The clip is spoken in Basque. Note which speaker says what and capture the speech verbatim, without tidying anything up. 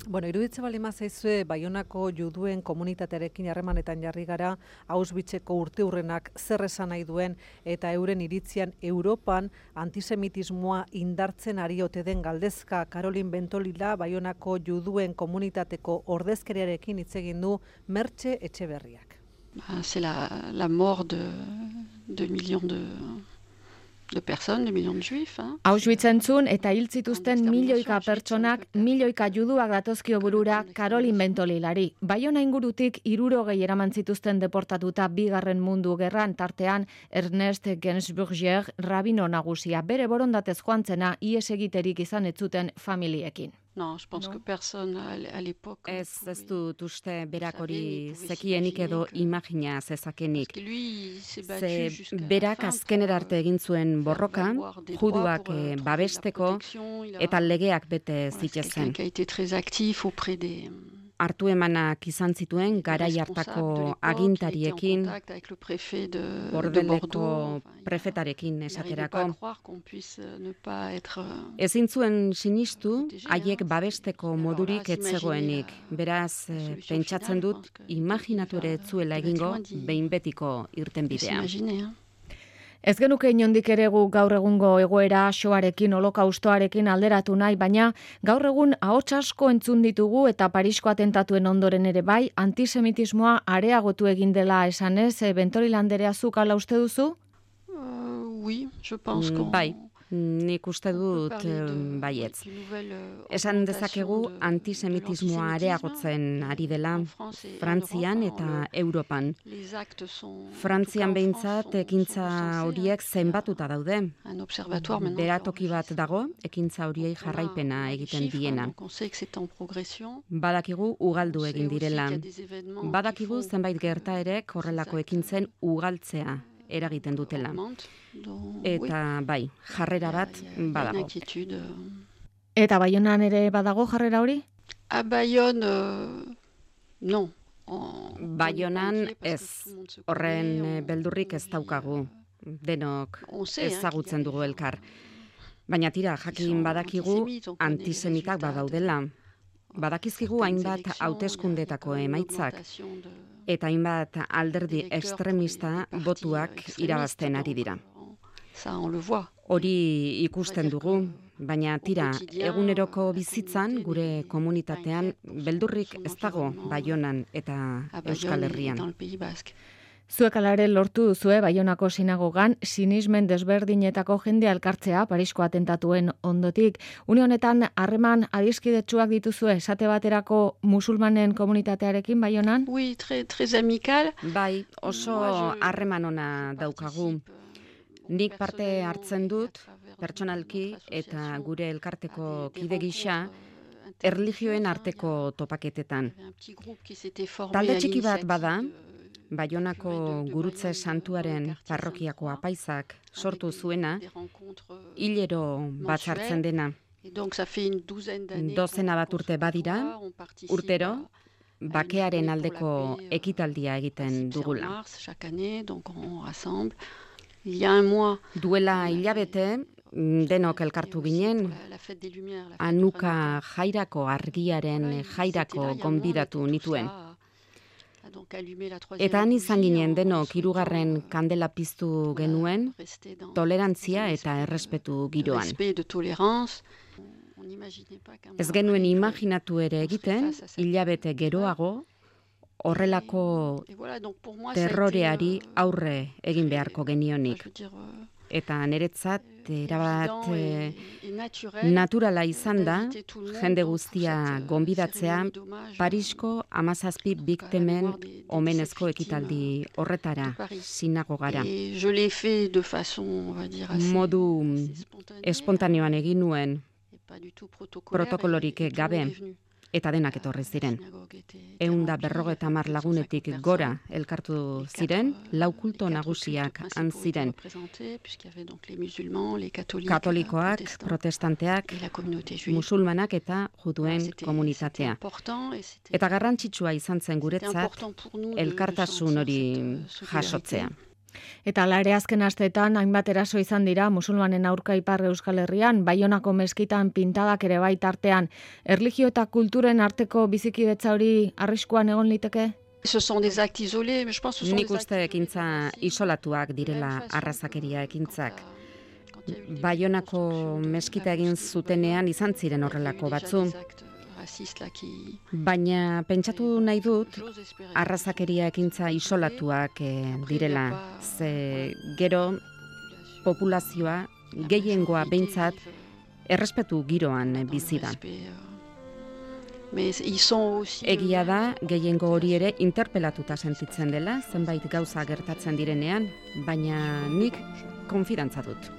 Speaker 1: Bueno, iruditze bali mazaizue Baionako juduen komunitatearekin harremanetan jarri gara, Auschwitzeko urteurrenak zer esan nahi duen eta euren iritzian Europan antisemitismoa indartzen ari ote den galdezka. Karolin Bentolila Baionako juduen komunitateko ordezkariarekin hitz egin du Mertxe Etxeberriak.
Speaker 2: C'est la, la mort de, de millions de... de personas, de millions de juifs. Hein?
Speaker 3: Auschwitz entzun eta hil zituzten milioika pertsonak, milioika juduak datozkio burura Karolin Bentolilari. Baiona ingurutik hirurogei eraman zituzten deportatuta bigarren mundu gerran, tartean Ernest Gensburger rabino nagusia, bere borondatez joan zena ihes egiterik izan ez zuten familiekin.
Speaker 2: No, je pense que personne à l'époque...
Speaker 4: Ez, ez dut uste berak hori zekienik edo imagina zezakenik. Ze berak azkenera arte egin zuen borroka, juduak babesteko eta legeak bete zitezen. Hartu emanak izan zituen garai hartako agintariekin, Bordeleko prefetarekin esaterako. Ezin zuen sinistu, haiek babesteko modurik ez zegoenik. Beraz, pentsatzen dut, imaginatu ere ez zuela egingo behin betiko irtenbidea.
Speaker 3: Ez genuke inondik ere gu gaur egungo egoera xoarekin, holokaustoarekin alderatu nahi, baina gaur egun ahots asko entzun ditugu eta Parisko atentatuen ondoren ere bai, antisemitismoa areagotu egin dela esanez, Bentolila anderea zuk hala uste duzu?
Speaker 2: Uh, oui, je pense que...
Speaker 4: Bai. Nik uste dut baietz. Esan dezakegu antisemitismoa areagotzen ari dela Frantzian eta Europan. Frantzian behintzat ekintza horiek zenbatuta daude. Beratoki bat dago, ekintza horiei jarraipena egiten diena. Badakigu ugaldu egin direla. Badakigu zenbait gertaerek horrelako ekintzen ugaltzea eragiten dutela. Eta bai, jarrera bat badago.
Speaker 3: Eta Baionan ere badago jarrera hori?
Speaker 2: A Bayonne, no.
Speaker 4: Baionan ez, horren beldurrik ez daukagu. Denok ezagutzen dugu elkar. Baina tira, jakin badakigu antisemitak badaudela. Badakizkigu hainbat hauteskundetako emaitzak eta hainbat alderdi ekstremista botuak irabazten ari dira. Hori ikusten dugu, baina tira, eguneroko bizitzan gure komunitatean beldurrik ez dago Baionan eta Euskal Herrian.
Speaker 3: Zuek ala ere lortu duzue Baionako sinagogan sinismen desberdinetako jende elkartzea Parisko atentatuen ondotik. Une honetan harreman adiskidetsuak dituzue esate baterako musulmanen komunitatearekin Baionan?
Speaker 2: Oui, très très amical.
Speaker 4: Bai, oso harreman ona daukagu. Nik parte hartzen dut pertsonalki eta gure elkarteko kide gisa erlijioen arteko topaketetan. Talde txiki bat bada, Baionako Gurutze Santuaren parrokiako apaizak sortu zuena, hilero bat hartzen dena. Dozena bat urte badira, urtero, bakearen aldeko ekitaldia egiten dugula. Duela hilabete, denok elkartu ginen, Hanuka jairako argiaren jairako gonbidatu nituen. Eta han izan ginen denok hirugarren kandela piztu genuen, tolerantzia eta errespetu giroan. Ez genuen imaginatu ere egiten, hilabete geroago, horrelako terroreari aurre egin beharko genionik. Eta niretzat erabat e, naturala izan da, jende guztia gonbidatzea Parisko hamazazpi biktimen omenezko ekitaldi horretara, sinagogara. Modu espontaneoan egin nuen, protokolorik gabe, eta denak etorri ziren. Ehun da berrogeta hamar lagunetik gora elkartu ziren, lau kulto nagusiak han ziren. Katolikoak, protestanteak, musulmanak eta juduen komunitatea. Eta garrantzitsua izan zen guretzat elkartasun hori jasotzea.
Speaker 3: Eta lare azken asteetan hainbat eraso izan dira musulmanen aurka ipar Euskal Herrian, Baionako meskitan pintadak ere bai tartean. Erlijio eta kulturen arteko bizikidetza hori arriskuan egon liteke?
Speaker 4: Nik uste ekintza isolatuak direla arrazakeria ekintzak. Baionako meskita egin zutenean izan ziren horrelako batzu. Baina pentsatu nahi dut arrazakeria ekintza isolatuak eh, direla. Ze gero populazioa gehiengoa behintzat errespetu giroan bizi da. Egia da, gehiengo hori ere interpelatuta sentitzen dela, zenbait gauza gertatzen direnean, baina nik konfidantza dut.